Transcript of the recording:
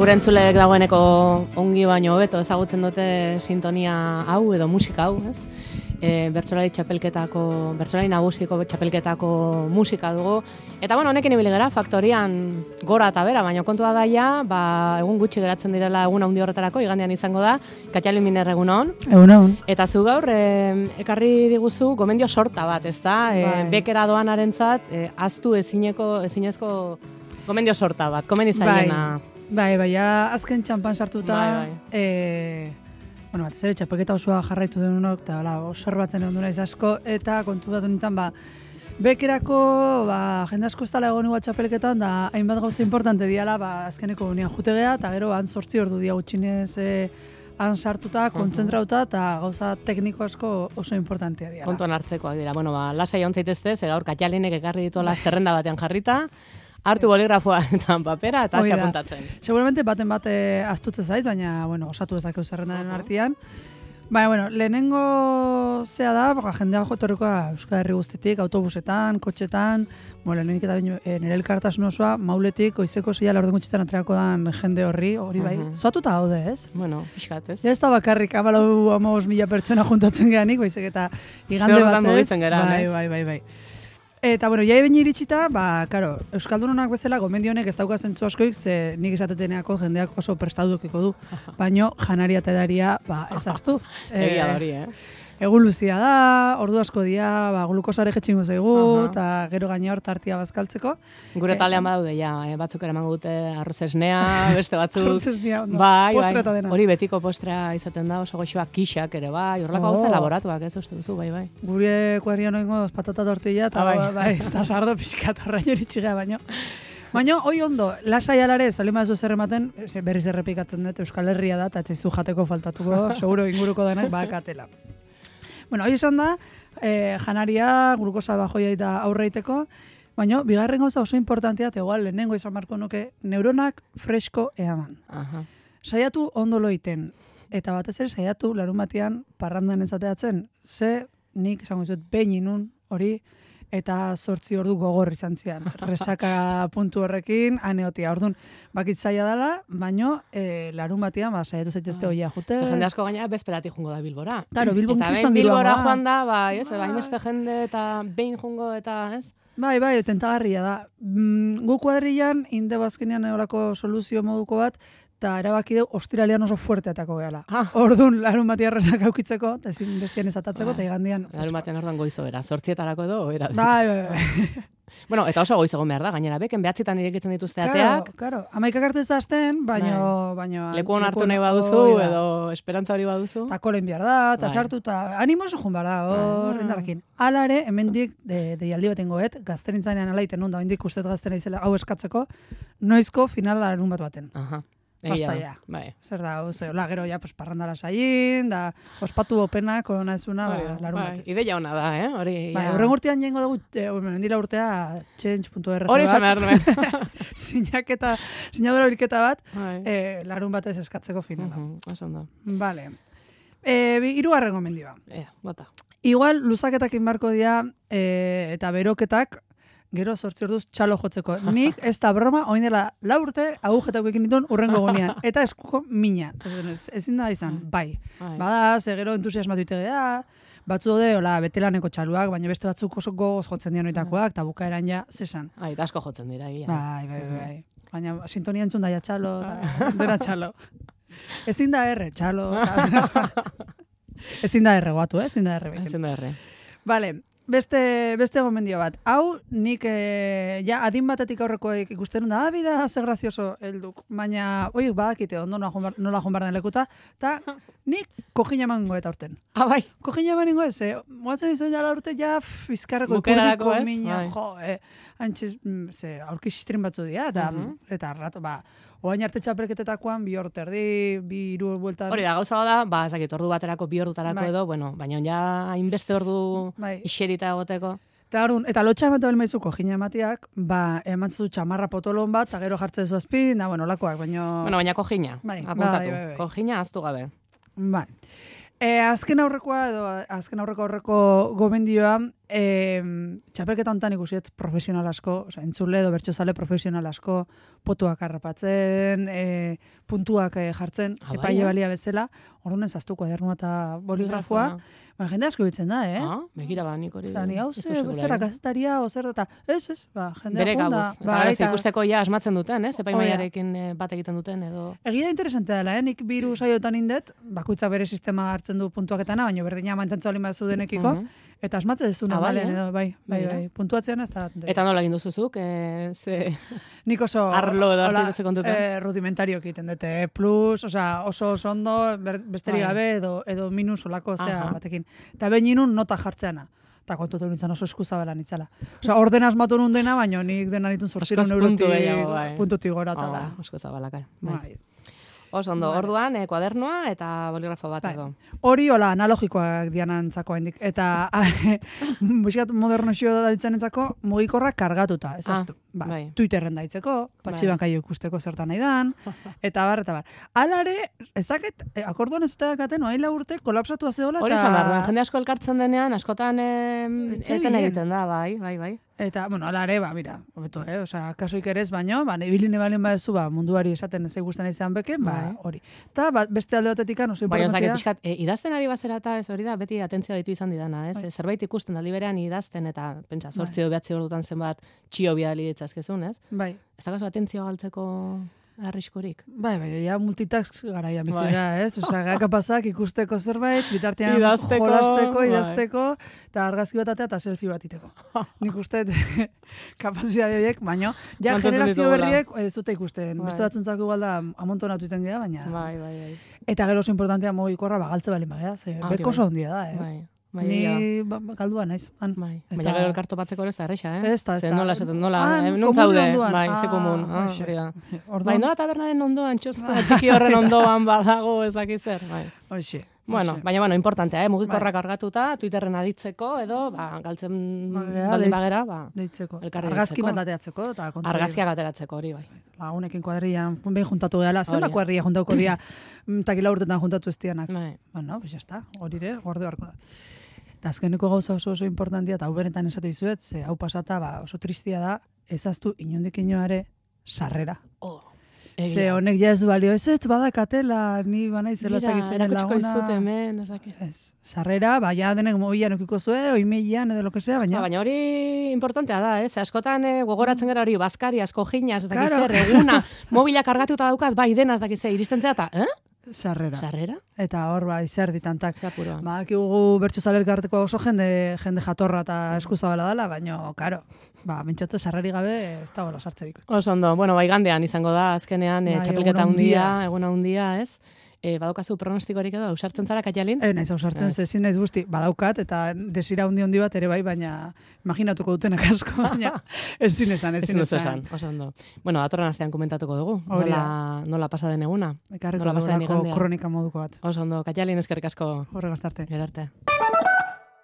Gure entzuleek dagoeneko ongi baino hobeto ezagutzen dute sintonia hau edo musika hau, ez? Bertsolari nagusiko txapelketako musika dugu. Eta bueno, honekin ibili gara, faktorian gora eta bera, baina kontua daia, egun gutxi geratzen direla egun handi horretarako, igandean izango da, Katxalin Miner egunon. Egunon. Eta zu gaur, ekarri diguzu gomendio sorta bat, ez da? Bekera doanarentzat, ahaztu ezinezko gomendio sorta bat, komen izaiena. Bai, azken txampan sartuta, batez ere txapelketa osoa jarraitu denunok, eta observatzen egon naiz asko, eta kontu bat nintzen, bekerako, jende asko ez dala egon igual txapelketan, da hainbat gauza importante diala, azkeneko unian jutegea, eta gero, 8 ordu dia gutxinez han sartuta, kontzentrauta, eta gauza tekniko asko oso importantea diala. Kontuan hartzekoak dira, lasai ontzaitezte, gaur Katxalinek ekarri dituela zerrenda batean jarrita, hartu boligrafoa eta papera eta hasi apuntatzen. Seguramente baten bate astutze zait, baina, osatu ezakeu zerrendaren artean. Baina, lehenengo zea da, jendea jotorrekoa Euskal Herri guztitik, autobusetan, kotxetan, lehenik eta nire elkartasun osoa, mauletik, goizeko 6 laurden gutxitan atreako dan jende hori bai. Zoatuta gaude, ez? Pixkat, ez? Ja ez da bakarrik, 14.000 pertsona juntatzen geanik, baizik eta igande batez. Bai. Eta, jai baina iritsita, Euskaldunonak bezala, gomendionek ez dauka zentzu askoik, ze nik esateteneako jendeak oso prestaudukiko du, baino janaria eta edaria, ez aztu. Egia da hori, Egun luzia da, ordu asko dia, glukosare jetxingo zaigu, eta gero gaina hor tartia bazkaltzeko. Gure talean badaude, batzuk ere emango dute arroz esnea, beste batzuk. Arroz esnea, postre eta dena. Hori betiko postrea izaten da, oso goxoak kixak ere, horrelako gauza elaboratuak, ez uste duzu, bai. Gure kuadrian oingo patata tortilla, eta sardo pixkat horrein hori txigea baino. Baina, hoi ondo, lasai alare, salima ez zer ematen, berriz errepikatzen dut, Euskal Herria da, eta etxaizu jateko faltatuko, seguro inguruko denak bakatela. Hoi esan da, janaria, glukosa bajoia eta aurreiteko, baina bigarren gauza oso importantea, eta igual lehenengo izan marko nuke, neuronak fresko eaman. Saiatu ondo loiten, eta batez ere saiatu larun batean parrandan ezateatzen, ze nik esango izut behin inun hori, eta 8 ordu gogor izan zian. Resaka puntu horrekin, aneotia. Orduan, bakitzaia dela, baino, larun batean, saiatu zaitezte hoia jute. Ze jende asko gaina bezperatik jungo da Bilbora. Claro, Bilbon kriston Bilbora joan da, hainbeste jende eta behin jungo eta, ez? Bai, tentagarria da. Gu kuadrilan, inde bazkenean eurako soluzio moduko bat, eta erabaki dugu ostiralean oso fuerteatako gehala. Orduan, larun batean resak aukitzeko, eta ezin bestian ezatatzeko, eta igandian... Larun batean orduan goizo bera, 8etarako edo, bera. Bai. Bueno, eta oso goiz egon behar da, gainera, beken 9etan irekitzen dituzte ateak. Claro, 11 arte ez da azten, baino... Lekuan hartu nahi baduzu, edo esperantza hori baduzu. Eta kolen behar da, eta sartu, eta animoso jun behar da, hor, indarrekin. Hala ere, hemendik, deialdi baten goet, gazterintzanean alaiten nun, da hendik ustet gaztera izela hau eskatzeko, noizko final larun bat baten. Basta ya. Zer da, gero ja parrandara saien, da ospatu opena, korona ezuna, larun batez. Ideia hona da, hori. Horren urtean jengo dugu, mendila urtea, change.org bat. Hori esan behar nuen. Sinadura bilketa bat, larun batez eskatzeko finala. Oso ondo. Vale. Hirugarren gomendioa. Bota. Igual, luzaketak inbarko dira, eta beroketak, gero 8 orduz txalo jotzeko. Nik ez da broma, oin dela 4 urte agujetako ekin dituen urrengo gonean. Eta eskuko mina. Ezin da izan, bai. Bada, ze gero entusiasmatu itegea, batzu dode, betelaneko txaluak, baina beste batzuk oso gogoz jotzen dian oitakoak, eta bukaeran ja, zesan. Eta asko jotzen dira, egia. Bai. Baina sintonia entzun daia txalo, dena txalo. Ezin da erre, txalo. Ezin da erre, guatu, ezin da erre. Ezin da erre. Vale. Beste gomendio bat. Hau, nik adin batetik aurrekoek ikusten da, bida, ze grazioso helduk. Baina, oiek badakite, ondo nola joan barren lekuta, eta nik kojina emango eta urten. Bai. Kojina emango ez, moatzen izan jala urte, bizkarreko ipurdiko mina, antxiz, aurki sistrin batzu dira, eta rato, oain arte txapelketetakoan, 2 ordu erdi, 2 bueltan... Hori da, gauza da, ezakit, ordu baterako, 2 ordutarako edo, baina ja hainbeste ordu iserita egoteko. Eta lotxa emate bel maizuko jina ematiak, emantzen du txamarra potolon bat, eta gero jartzen zu azpi, olakoak, baina... Baina kojina, apuntatu. Kojina aztu gabe. Azken aurreko gomendioa, txapelketa hontan ikusiet profesional asko, entzule edo bertsozale profesional asko, potuak harrapatzen, puntuak jartzen, epaile balia bezala, orduan zaztu kuadernua eta boligrafoa, jende asko bitzen da, Begira ba, nik hori. Ni hau zera gazetaria, ozer eta, ez, jendea bere gabuz. Eta ikusteko ja asmatzen duten, ez? Epaimaiarekin bat egiten duten, edo... Egia interesante dela, nik biru saiotan indet, bakoitza bere sistema hartzen du puntuaketana, baina berdina mantentza olin bat zudenekiko, eta asmatzen dezuna, bai, puntuatzean ez da. Eta nola egin duzuzuk? Nik oso... Arlo edo hartu duzu kontuten? Rudimentario egiten dute, plus, oso ondo, besterik gabe, edo minus olako, batekin. Eta behin inun nota jartzeana. Eta kontutu nintzen oso eskuzabelan itzala. Orden asmatu nun dena, baina nik dena nitun zortzirun puntutik gora. Osko zabalaka. Oso ondo, orduan, kuadernoa eta boligrafo bat edo. Hori, analogikoak dianantzako hendik. Eta, buskat moderno xio da ditzen entzako, mugikorrak kargatuta, ez aztu. Twitterren daitzeko, patxibankaio ikusteko zertan nahi dan, eta bar. Alare, ez dakit, akorduan ez dut gaten, oaila urte, kolapsatu azeola. Hori esan behar, jende asko elkartzen denean, askotan eten egiten da, bai. Eta, alare, mira, hobeto, kasoik ere ez baino, ibiline balin badezu, munduari esaten ez guztan izan beken, hori. Eta, beste alde batetik oso importantia. Baina, pixkat, idazten ari bazera eta ez hori da, beti atentzia ditu izan didana, ez? Zerbait ikusten aldi berean idazten, eta, pentsa, 8 edo 9 ordutan zenbat txio bidali ditzazkezun, ez? Bai. Ez da kaso atentzioa galtzeko arriskorik. Bai, ja multitask garaia bizira, ez? Kapazak ikusteko zerbait, bitartean idazteko, eta argazki bat atea eta selfie bat iteko. Nik uste kapazidade horiek, baina ja generazio berriek ez dute ikusten. Beste batzuntzako igual da amontonatu iten geha, baina... Bai. Eta gero oso importantea mugikorra galtze balin bagea, beko oso handia da, Ni galdua naiz. Baina gero elkarto batzeko ez da erresa, Ez da. Nola esaten, nuntzaude, ze komun. Bai, nola tabernaren ondoan, txiki horren ondoan badago ezakit zer, bai. Hoxe. Baina, importantea, mugikorrak argatuta, Twitterren aritzeko, edo, galtzen baldin bagera, deitzeko. Argazki bat ateatzeko, eta kontu. Argazkiak ateratzeko, hori, bai. Lagunekin kuadrian, behin juntatu gehala, zenba kuadria juntauko dia, takila urtetan juntatu ez dianak. Bueno, pues ya está, hori ere, gorde barko da. Eta azkeneko gauza oso importantia, eta hau benetan esate izuet, ze hau pasata, oso tristia da, ezaztu inondik inoare sarrera. Ze honek ja ez du balio, ez badakatela, ni banaizela ez dakizera laguna. Erakutsko izute hemen, ez dakit. Sarrera, ja denek mobilan okiko zue, oimeian edo lo que sea, baina... Baina hori importantea da, ez? Askotan gogoratzen gara hori, bazkari, asko jinas, ez dakizer, eguna, mobila kargatuta daukat, bai dena ez dakize, iristen zera, eta, Sarrera? Eta hor, zer ditantak. Akigu bertsozale elkarteko oso jende jatorra eta eskuzabala dela, baina, karo, mintzatze sarreri gabe ez da gola sartzerik. Oso ondo, igandean izango da, azkenean, txapelketa eguna hundia, ez? Badaukazu pronostikorik edo, ausartzen zara, Katialin? Naiz ausartzen, zezin naiz guzti, badaukat, eta desira hundi bat ere bai, baina imaginatuko dutenak asko, baina ez esan. Oso ondo. Datorren astean komentatuko dugu, nola pasa den eguna. Ekarriko dugulako kronika moduko bat. Oso ondo, Katialin eskerrik asko. Horregaz arte. Gerarte.